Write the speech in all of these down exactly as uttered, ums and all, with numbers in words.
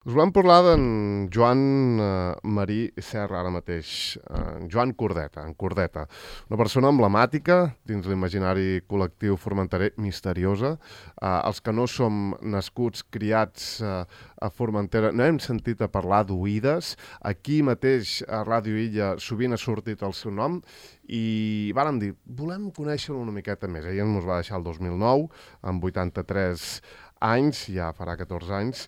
Us volem parlar d'en Joan eh, Marí Serra ara mateix, en Joan Cordeta, en Cordeta, una persona emblemàtica dins l'imaginari col·lectiu formenterer, misteriosa. Eh, els que no som nascuts, criats eh, a Formentera, no hem sentit a parlar d'oïdes. Aquí mateix a Ràdio Illa sovint ha sortit el seu nom i vàrem dir, volem conèixer-lo una miqueta més. Ella ens va deixar el dos mil nou, amb vuitanta-tres anys, ja farà catorze anys,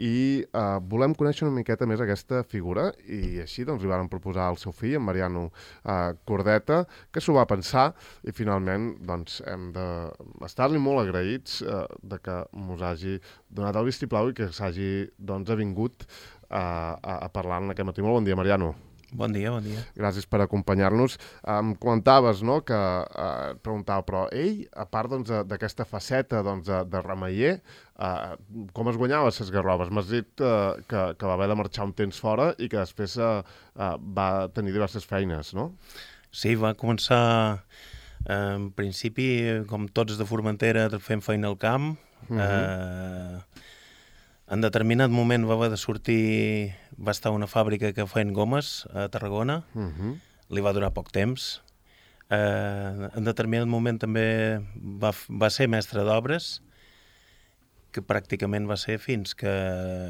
i eh, volem conèixer una miqueta més aquesta figura i així doncs li varen proposar al seu fill, en Mariano eh, Cordeta, que s'ho va pensar i finalment doncs hem d'estar-li molt agraïts eh, de que mos hagi donat el vistiplau i que s'hagi doncs avingut eh, a, a parlar en aquest matí. Molt bon dia, Mariano. Bon dia, bon dia. Gràcies per acompanyar-nos. Em comentaves, no?, que eh, et preguntava, però ell, a part doncs, d'aquesta faceta doncs, de, de remeier, eh, com es guanyava les garrobes? M'has dit eh, que, que va haver de marxar un temps fora i que després eh, eh, va tenir diverses feines, no? Sí, va començar, eh, en principi, com tots de Formentera, fent feina al camp. Uh -huh. eh, en determinat moment va haver de sortir, va estar a una fàbrica que feien gomes a Tarragona, uh -huh. Li va durar poc temps. Eh, en determinat moment també va, va ser mestre d'obres, que pràcticament va ser fins que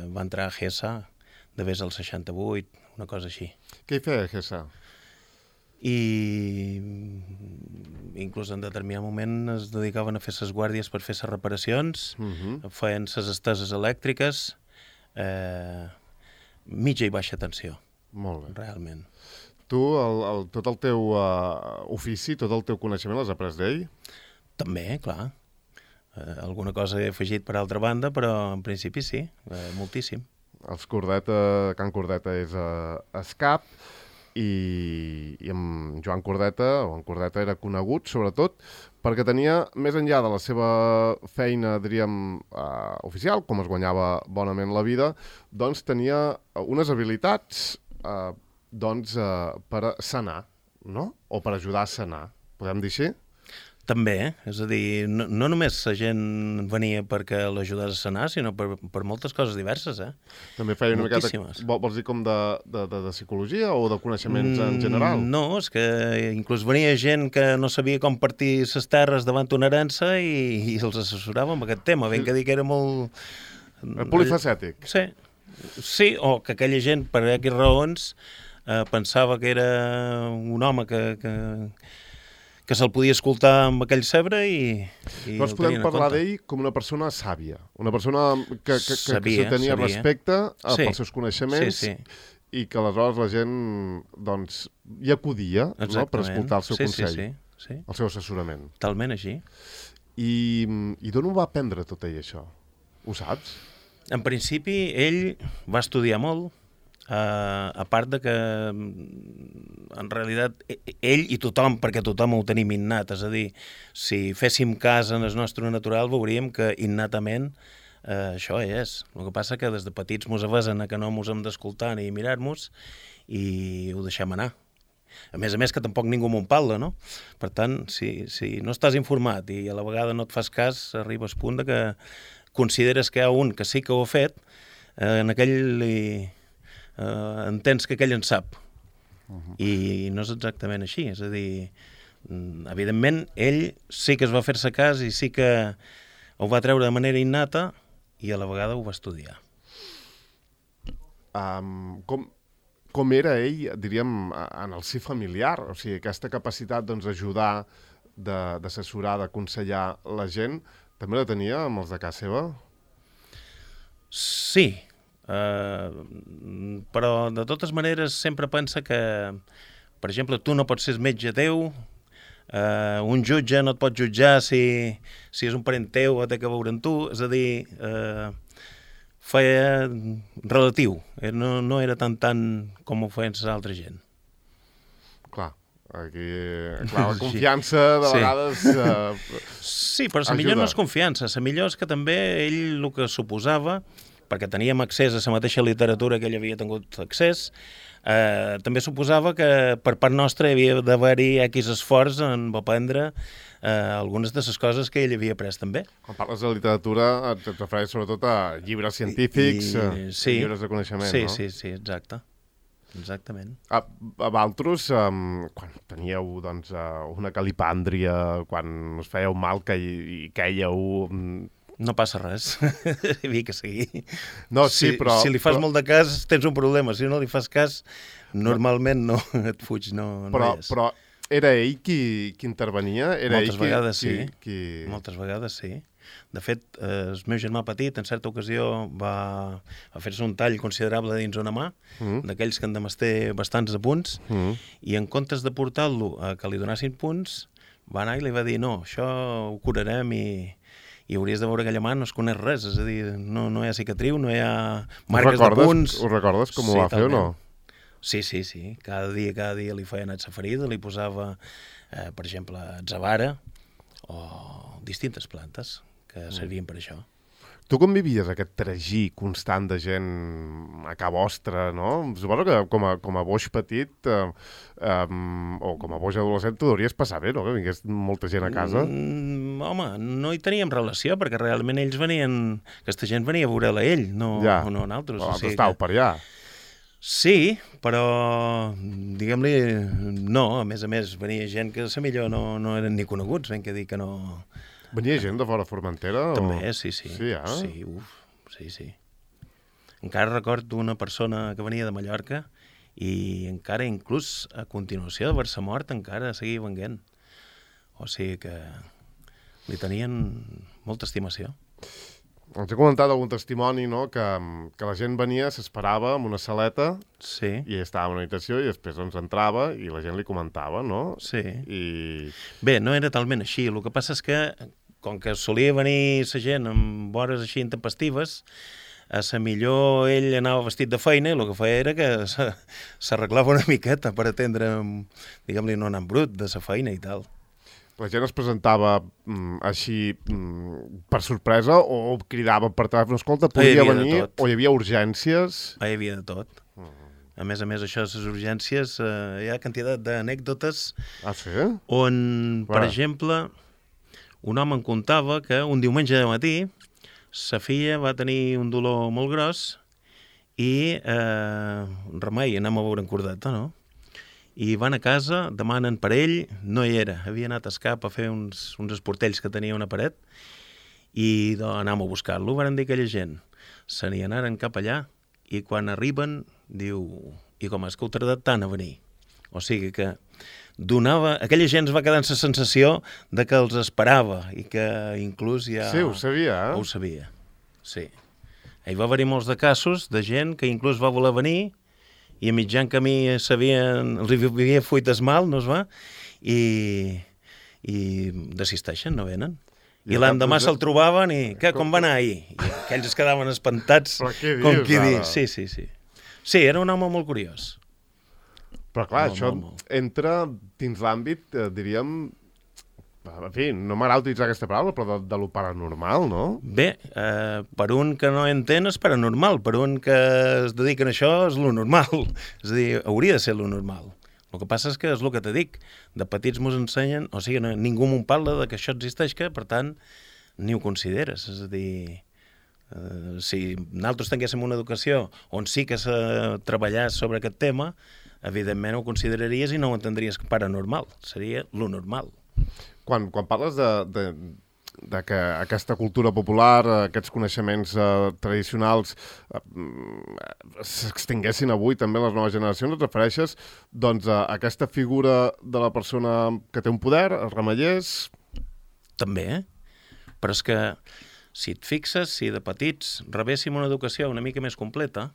va entrar a Gessa, de vés al seixanta-vuit, una cosa així. Què hi feia a Gessa? I inclús en determinat moment es dedicaven a fer ses guàrdies per fer ses reparacions, uh -huh. feien ses esteses elèctriques, eh, mitja i baixa tensió. Molt bé. Realment. Tu, el, el, tot el teu uh, ofici, tot el teu coneixement l'has après d'ell? També, clar. Eh, alguna cosa he afegit per altra banda, però en principi sí, eh, moltíssim. Els Cordeta, Can Cordeta és a uh, Escap, i, i en Joan Cordeta, o en Cordeta era conegut, sobretot, perquè tenia, més enllà de la seva feina, diríem, eh, oficial, com es guanyava bonament la vida, doncs tenia unes habilitats eh, doncs, eh, per sanar, no? O per ajudar a sanar, podem dir així? També, eh? És a dir, no, no només la gent venia perquè l'ajudés a sanar, sinó per, per moltes coses diverses, eh? També feia una miqueta, vols dir com de, de, de, de psicologia o de coneixements mm, en general? No, és que inclús venia gent que no sabia com partir les terres davant una herença i, i els assessorava amb aquest tema, ben que dir que era molt... Polifacètic. Sí, sí, o que aquella gent, per aquestes raons, eh, pensava que era un home que... que que se'l podia escoltar amb aquell cebre i, i doncs podem parlar d'ell com una persona sàvia, una persona que, que, que, sabia, que tenia sabia. respecte a, sí. pels seus coneixements sí, sí. i que aleshores la gent doncs, hi acudia, no?, per escoltar el seu sí, consell, sí, sí, sí. el seu assessorament. Talment així. I, i d'on ho va aprendre tot ell, això? Ho saps? En principi, ell va estudiar molt, Uh, a part de que en realitat ell i tothom, perquè tothom ho tenim innat, és a dir, si féssim cas en el nostre natural veuríem que innatament uh, això és. El que passa que des de petits mos avesen a que no mos hem d'escoltar ni mirar-nos i ho deixem anar. A més a més que tampoc ningú m'ho parla, no? Per tant, si, si no estàs informat i a la vegada no et fas cas, arribes al punt de que consideres que hi ha un que sí que ho ha fet, uh, en aquell li... Uh, entens que aquell en sap. Uh-huh. I no és exactament així, és a dir, evidentment ell sí que es va fer-se cas i sí que ho va treure de manera innata i a la vegada ho va estudiar. Um, com, com era ell, diríem, en el si familiar? O sigui, aquesta capacitat doncs, d'ajudar, d'assessorar, d'aconsellar la gent, també la tenia amb els de casa seva? Sí, Uh, però de totes maneres sempre pensa que, per exemple, tu no pots ser metge teu, uh, un jutge no et pot jutjar si, si és un parent teu o té que veure amb tu, és a dir, uh, feia relatiu, no, no era tan tant com ho feien l'altra gent. Clar, aquí, clar, la confiança de sí. vegades... Uh, sí, però la millor no és confiança, la millor és que també ell el que suposava perquè teníem accés a la mateixa literatura que ell havia tingut accés, eh, també suposava que per part nostra hi havia d'haver-hi X esforç en aprendre eh, algunes de les coses que ell havia après també. Quan parles de literatura et refereix sobretot a llibres científics, I, i, sí, llibres de coneixement, sí, no? Sí, sí, exacte. Exactament. A, a Valtros, um, quan teníeu doncs, uh, una calipàndria, quan us fèieu mal que hi, hi quèieu... Um... No passa res, hi havia que seguir. No, sí, si, però... Si li fas però... molt de cas, tens un problema. Si no li fas cas, normalment no et fuig, no, no però, és. Però era ell qui, qui intervenia? Era Moltes ell vegades qui, sí. Qui, qui... Moltes vegades sí. De fet, eh, el meu germà petit, en certa ocasió, va, va fer-se un tall considerable dins una mà, mm. d'aquells que han de mester bastants de punts, mm. i en comptes de portar-lo a que li donassin punts, va anar i li va dir, no, això ho curarem i, i hauries de veure aquella mà, no es coneix res, és a dir, no, no hi ha cicatriu, no hi ha marques de punts. Ho recordes com sí, ho va fer o no? Sí, sí, sí. Cada dia, cada dia li feia anar a ferida, li posava, eh, per exemple, atzavara o distintes plantes que servien per això. Tu com vivies aquest tragí constant de gent a ca vostra, no? Suposo que com a, com a boix petit eh, um, o com a boix adolescent t'ho hauries passar bé, no? Que vingués molta gent a casa. Mm, home, no hi teníem relació perquè realment ells venien... Aquesta gent venia a veure'l a ell, no, ja. no a nosaltres. Però o sigui estàveu que... per allà. Sí, però diguem-li no, a més a més venia gent que a millor no, no eren ni coneguts, ben que dir que no... Venia gent de fora Formentera? També, o... sí, sí. Sí, eh? Sí, uf, sí, sí. Encara recordo una persona que venia de Mallorca i encara inclús a continuació d'haver-se mort encara seguia venguent. O sigui que li tenien molta estimació. Ens he comentat algun testimoni, no?, que, que la gent venia, s'esperava en una saleta, sí. i estava en una habitació i després doncs, entrava i la gent li comentava, no? Sí. I... Bé, no era talment així. El que passa és que, com que solia venir la gent amb hores així intempestives, a la millor ell anava vestit de feina i el que feia era que s'arreglava una miqueta per atendre, diguem-li, no anant brut de la feina i tal. La gent es presentava mm, així mm, per sorpresa o cridava per telèfon, escolta, podia venir, o hi havia urgències? Hi havia de tot. Uh -huh. A més a més, això, les urgències, eh, hi ha quantitat d'anècdotes ah, sí? on, Clar. per exemple, un home em contava que un diumenge de matí sa filla va tenir un dolor molt gros i eh, remei, anem a veure en Cordeta, no? I van a casa, demanen per ell, no hi era, havia anat a escap a fer uns, uns esportells que tenia una paret i doncs, anàvem a buscar-lo, van dir aquella gent, se n'hi anaren cap allà i quan arriben, diu, i com és que heu tardat tant a venir? O sigui que donava, aquella gent es va quedar amb la sensació de que els esperava i que inclús ja... Sí, ho sabia, eh? Ho sabia, sí. Hi va haver-hi molts de casos de gent que inclús va voler venir i a mitjan camí sabien, els havia fuit es mal, no es va? I, i desisteixen, no venen. I, I l'endemà se'l trobaven i, què, com va anar ahir? I aquells es quedaven espantats. Però què dius, com qui ara? dir. Sí, sí, sí. Sí, era un home molt curiós. Però clar, molt, això molt, molt. entra dins l'àmbit, eh, diríem, en fi, no m'agrada utilitzar aquesta paraula, però de, de lo paranormal, no? Bé, eh, per un que no entén és paranormal, per un que es dedica a això és lo normal. És a dir, hauria de ser lo normal. El que passa és que és el que te dic. De petits mos ensenyen, o sigui, no, ningú m'ho parla de que això existeix, que per tant ni ho consideres. És a dir, eh, si nosaltres tinguéssim una educació on sí que se treballés sobre aquest tema, evidentment ho consideraries i no ho entendries paranormal. Seria lo normal. Quan, quan parles de, de, de que aquesta cultura popular, aquests coneixements eh, tradicionals eh, s'extinguessin avui també en les noves generacions, et refereixes doncs, a aquesta figura de la persona que té un poder, els remeiers? També, eh? Però és que si et fixes, si de petits rebéssim una educació una mica més completa,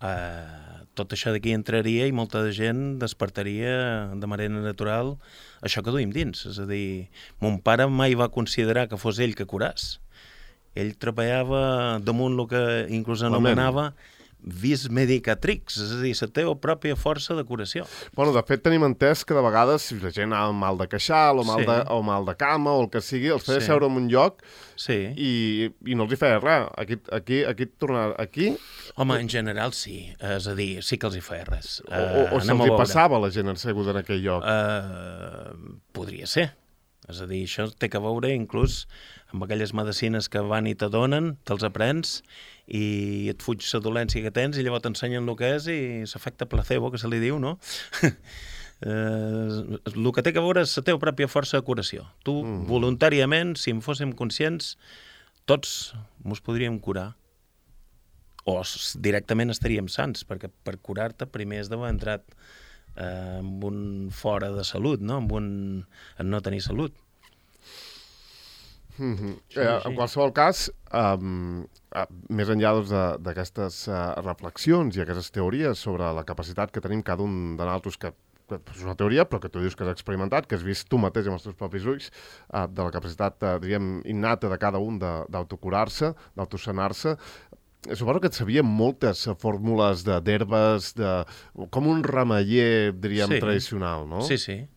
eh, tot això d'aquí entraria i molta gent despertaria de manera natural això que duim dins. És a dir, mon pare mai va considerar que fos ell que curàs. Ell treballava damunt el que inclús anomenava vis medicatrix, és a dir, la teva pròpia força de curació. Bueno, de fet, tenim entès que de vegades, si la gent ha mal de queixal o mal, Sí. de, o mal de cama o el que sigui, els feia Sí. seure en un lloc Sí. i, i no els hi feia res. Aquí, aquí, aquí, tornar, aquí Home, en general sí, és a dir, sí que els hi feia res. o, o, o anem se'ls a hi veure. passava la gent asseguda en aquell lloc. Uh, podria ser. És a dir, això té que veure inclús amb aquelles medicines que van i te donen, te'ls aprens i et fuig la dolència que tens i llavors t'ensenyen el que és i s'efecte placebo, que se li diu, no? Uh, el que té que veure és la teva pròpia força de curació. Tu, mm. voluntàriament, si en fóssim conscients, tots mos podríem curar. O s- directament estaríem sants, perquè per curar-te primer has d'haver entrat eh, amb un fora de salut, no? Amb un... en no tenir salut. Mm -hmm. Sí, eh, sí. en qualsevol cas, um, uh, més enllà doncs, de- d'aquestes uh, reflexions i aquestes teories sobre la capacitat que tenim cada un de nosaltres, que, que és una teoria, però que tu dius que has experimentat, que has vist tu mateix amb els teus propis ulls, uh, de la capacitat, uh, diríem, innata de cada un de- d'autocurar-se, d'autosanar-se, suposo que et sabien moltes uh, fórmules de- d'herbes, de, com un remeller, diríem, Sí. tradicional, no? Sí, sí.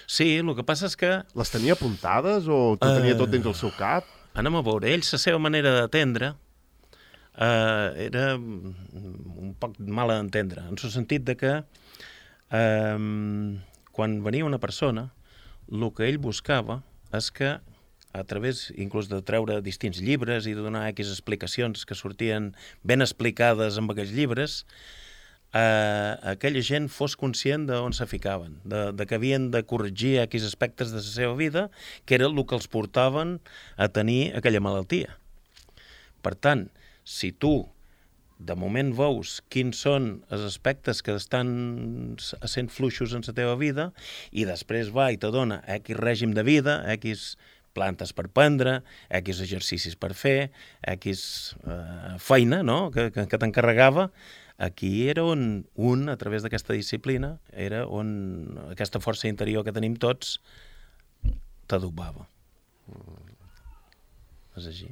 Sí, el que passa és que Les tenia apuntades o tu tenia Eh. tot dins el seu cap? anem a veure, ells, la seva manera d'atendre eh, era un poc mala d'entendre, en el sentit de que eh, quan venia una persona, el que ell buscava és que a través inclús de treure distints llibres i de donar X explicacions que sortien ben explicades amb aquells llibres, eh, aquella gent fos conscient d'on se ficaven, de, de que havien de corregir X aspectes de la seva vida, que era el que els portaven a tenir aquella malaltia. Per tant, si tu de moment veus quins són els aspectes que estan sent fluixos en la teva vida i després va i te dona X règim de vida, X plantes per prendre, X exercicis per fer, X eh, feina, no?, que, que, que t'encarregava, aquí era on un, a través d'aquesta disciplina, era on aquesta força interior que tenim tots t'adobava. És així.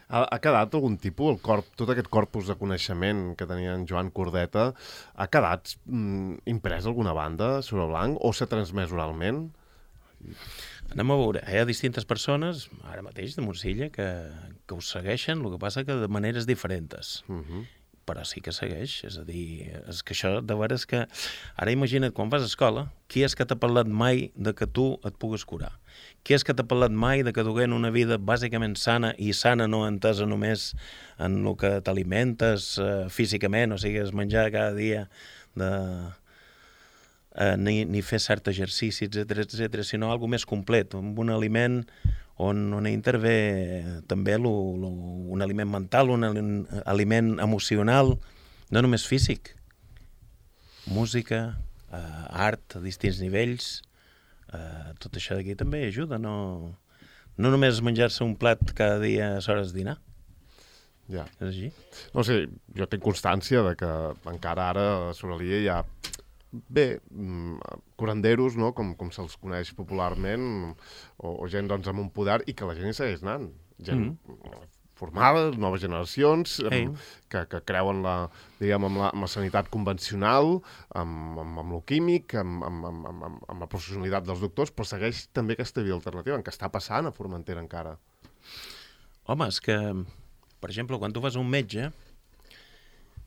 Ha, ha quedat algun tipus, el corp, tot aquest corpus de coneixement que tenia en Joan Cordeta, ha quedat mm, imprès alguna banda sobre blanc o s'ha transmès oralment? Anem a veure, hi ha distintes persones, ara mateix de Montsilla, que, que ho segueixen, el que passa que de maneres diferents. Uh -huh. Però sí que segueix, és a dir, és que això de veres que... Ara imagina't, quan vas a escola, qui és que t'ha parlat mai de que tu et pugues curar? Qui és que t'ha parlat mai de que duguent una vida bàsicament sana, i sana no entesa només en el que t'alimentes eh, físicament, o sigui, és menjar cada dia de... Eh, ni, ni fer cert exercici, etcètera, etcètera, sinó algo més complet, amb un aliment on, on intervé també lo, lo, un aliment mental, un aliment emocional, no només físic. Música, eh, art a distints nivells, eh, tot això d'aquí també ajuda, no, no només menjar-se un plat cada dia a hores de dinar. Ja. És així? No sé, jo tinc constància de que encara ara sobre l'I A hi ha bé, curanderos, no? com, com se'ls coneix popularment, o, o gent doncs, amb un poder, i que la gent hi segueix anant. Gent mm. formada, noves generacions, Hey. amb, que, que creuen la, diguem, amb, la, amb la sanitat convencional, amb, amb, amb lo químic, amb, amb, amb, amb, amb la professionalitat dels doctors, però segueix també aquesta via alternativa, en què està passant a Formentera encara. Home, és que, per exemple, quan tu vas a un metge,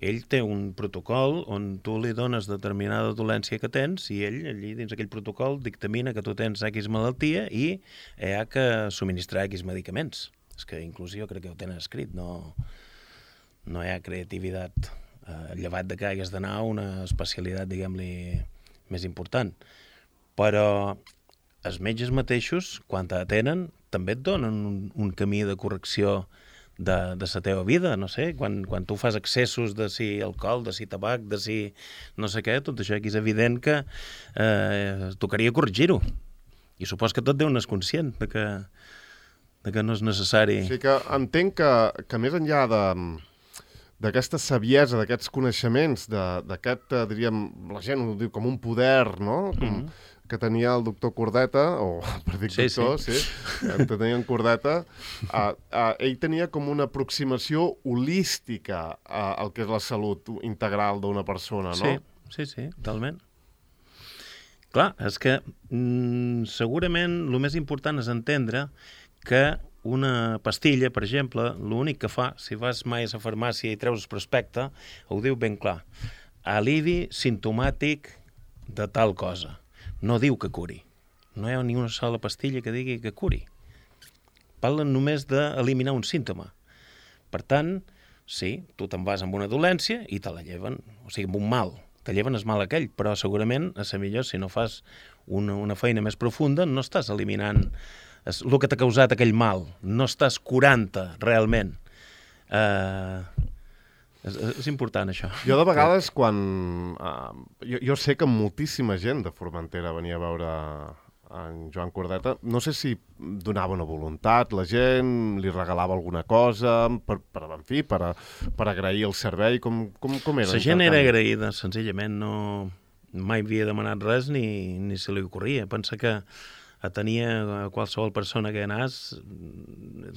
ell té un protocol on tu li dones determinada dolència que tens i ell, allí dins aquell protocol, dictamina que tu tens X malaltia i hi ha que subministrar X medicaments. És que inclús jo crec que ho tenen escrit, no, no hi ha creativitat, eh, llevat de que hagués d'anar a una especialitat, diguem-li, més important. Però els metges mateixos, quan t'atenen, també et donen un, un camí de correcció de, de la teva vida, no sé, quan, quan tu fas excessos de si alcohol, de si tabac, de si no sé què, tot això aquí és evident que eh, tocaria corregir-ho. I supos que tot Déu n'és conscient de que, de que no és necessari. O sigui que entenc que, que més enllà de d'aquesta saviesa, d'aquests coneixements, d'aquest, diríem, la gent ho diu com un poder, no? Com, mm -hmm. que tenia el doctor Cordeta, o per dir Sí, doctor, sí, sí que tenia en Cordeta, uh, uh, ell tenia com una aproximació holística uh, al que és la salut integral d'una persona, no? Sí, sí, sí, totalment. Clar, és que mm, segurament el més important és entendre que una pastilla, per exemple, l'únic que fa, si vas mai a la farmàcia i treus el prospecte, ho diu ben clar. Alivi simptomàtic de tal cosa. No diu que curi. No hi ha ni una sola pastilla que digui que curi. Parlen només d'eliminar un símptoma. Per tant, sí, tu te'n vas amb una dolència i te la lleven, o sigui, amb un mal. Te lleven el mal aquell, però segurament, a ser millor, si no fas una, una feina més profunda, no estàs eliminant el que t'ha causat aquell mal. No estàs curant-te, realment. Uh, és, és important, això. Jo, de vegades, quan... Uh, jo, jo sé que moltíssima gent de Formentera venia a veure en Joan Cordeta. No sé si donava una voluntat, la gent li regalava alguna cosa, per, per, en fi, per, a, per agrair el servei, com, com, com era? La gent era agraïda, senzillament, no... mai havia demanat res ni, ni se li ocorria. Pensa que tenia qualsevol persona que anàs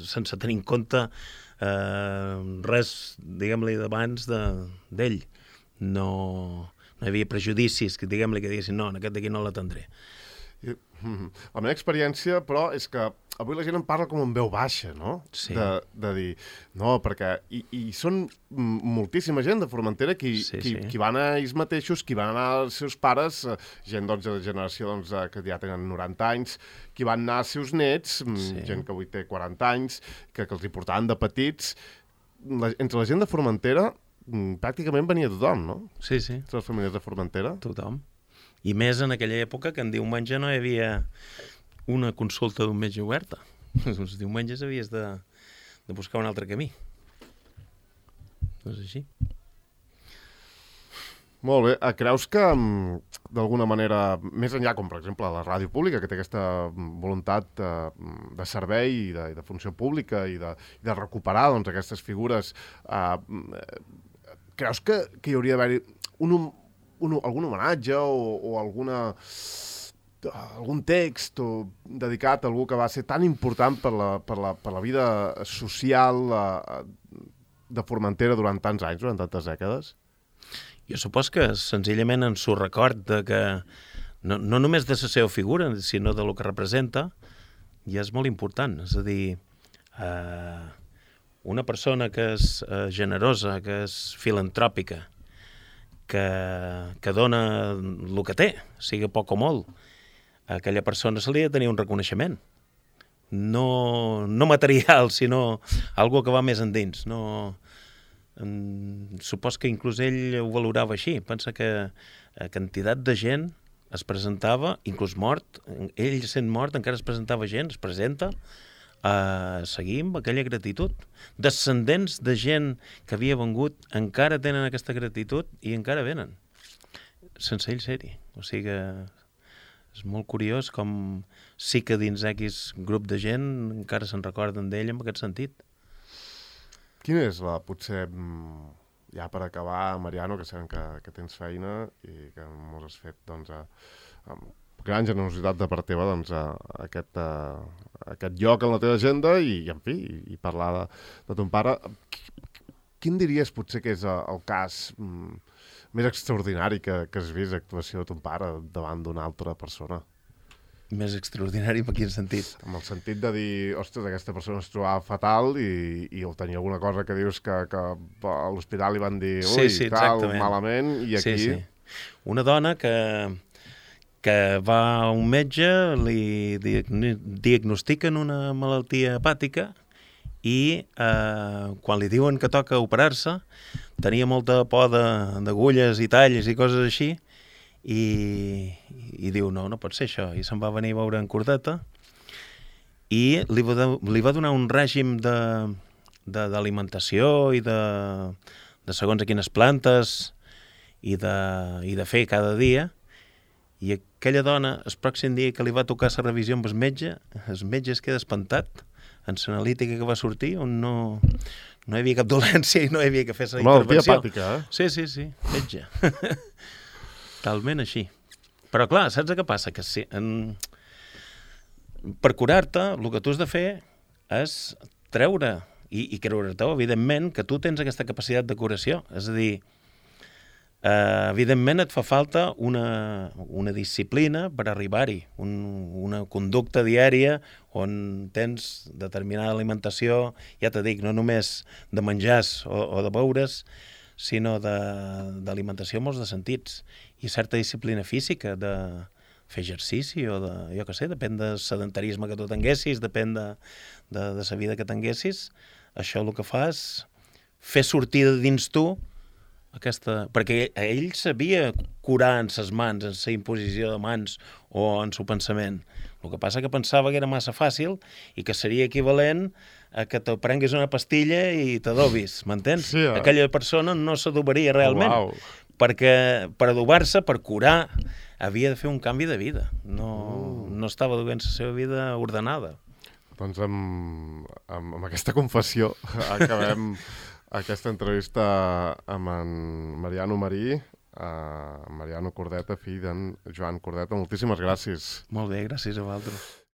sense tenir en compte eh, res, diguem-li, d'abans d'ell. De, no, no hi havia prejudicis que, diguem-li, que diguessin no, en aquest d'aquí no l'atendré. La meva experiència, però, és que avui la gent en parla com en veu baixa, no? Sí. De, de dir, no, perquè... I, i són moltíssima gent de Formentera qui, sí, qui, sí. qui van a ells mateixos, qui van anar als seus pares, gent doncs, de generació doncs, que ja tenen noranta anys, qui van anar als seus nets, sí. gent que avui té quaranta anys, que, que els hi portaven de petits. La, entre la gent de Formentera pràcticament venia tothom, no? Sí, sí. Entre les famílies de Formentera. Tothom. I més en aquella època que en diumenge no hi havia una consulta d'un metge oberta. Els diumenges havies de, de buscar un altre camí. No és així. Molt bé. Creus que, d'alguna manera, més enllà, com per exemple la ràdio pública, que té aquesta voluntat de, de servei i de, de funció pública i de, i de recuperar doncs, aquestes figures, eh, creus que, que hi hauria d'haver-hi un, un, algun homenatge o, o alguna... algun text o dedicat a algú que va ser tan important per la, per la, per la vida social uh, de Formentera durant tants anys, durant tantes dècades? Jo supos que senzillament en s'ho record de que no, no només de la seva figura, sinó de lo que representa, ja és molt important. És a dir, uh, una persona que és uh, generosa, que és filantròpica, que, que dona el que té, sigui poc o molt, a aquella persona se li ha de tenir un reconeixement. No, no material, sinó algo que va més endins. No, en, supos que inclús ell ho valorava així. Pensa que a quantitat de gent es presentava, inclús mort, ell sent mort encara es presentava gent, es presenta a seguir amb aquella gratitud. Descendents de gent que havia vengut encara tenen aquesta gratitud i encara venen, sense ell ser-hi. O sigui que és molt curiós com sí que dins X grup de gent encara se'n recorden d'ell en aquest sentit. Quina és la, potser, ja per acabar, Mariano, que sabem que, que tens feina i que mos has fet, doncs, a, amb gran generositat de part teva, doncs, a, a aquest, a, a aquest lloc en la teva agenda i, i en fi, i, i parlar de, de ton pare. Quin diries potser que és el cas mm, més extraordinari que, que has vist actuació de ton pare davant d'una altra persona? Més extraordinari en quin sentit? En el sentit de dir, ostres, aquesta persona es trobava fatal i, i o tenia alguna cosa que dius que, que a l'hospital li van dir ui, sí, sí, tal, malament, i aquí... Sí, sí. Una dona que, que va a un metge, li diagnostiquen una malaltia hepàtica i eh, quan li diuen que toca operar-se, tenia molta por d'agulles i talls i coses així, i, i diu, no, no pot ser això, i se'n va venir a veure en Cordeta, i li va, li va donar un règim d'alimentació i de, de segons a quines plantes i de, i de fer cada dia, i aquella dona, el pròxim dia que li va tocar la revisió amb el metge, el metge es queda espantat en l'analítica que va sortir, on no, no hi havia cap dolència i no hi havia que fer la intervenció. Malaltia hepàtica, eh? Sí, sí, sí, metge. Talment així. Però clar, saps què passa? Que si, en... per curar-te, el que tu has de fer és treure i, i creure-te, evidentment, que tu tens aquesta capacitat de curació. És a dir, eh, evidentment et fa falta una, una disciplina per arribar-hi, un, una conducta diària on tens determinada alimentació, ja t'ho dic, no només de menjars o, o de beures, sinó d'alimentació en molts de sentits, i certa disciplina física, de fer exercici o de, jo què sé, depèn del sedentarisme que tu tinguessis, depèn de, de, de la vida que tinguessis, això el que fa és fer sortir de dins tu aquesta... Perquè ell sabia curar en ses mans, en la imposició de mans o en el pensament. El que passa que pensava que era massa fàcil i que seria equivalent a que te prenguis una pastilla i t'adobis, m'entens? Sí, eh? Aquella persona no s'adobaria realment, Oh, wow. perquè per adobar-se, per curar, havia de fer un canvi de vida. No, mm. no estava duent la seva vida ordenada. Doncs amb, amb, amb aquesta confessió acabem aquesta entrevista amb en Mariano Marí, uh, Mariano Cordeta, fill d'en Joan Cordeta. Moltíssimes gràcies. Molt bé, gràcies a vosaltres.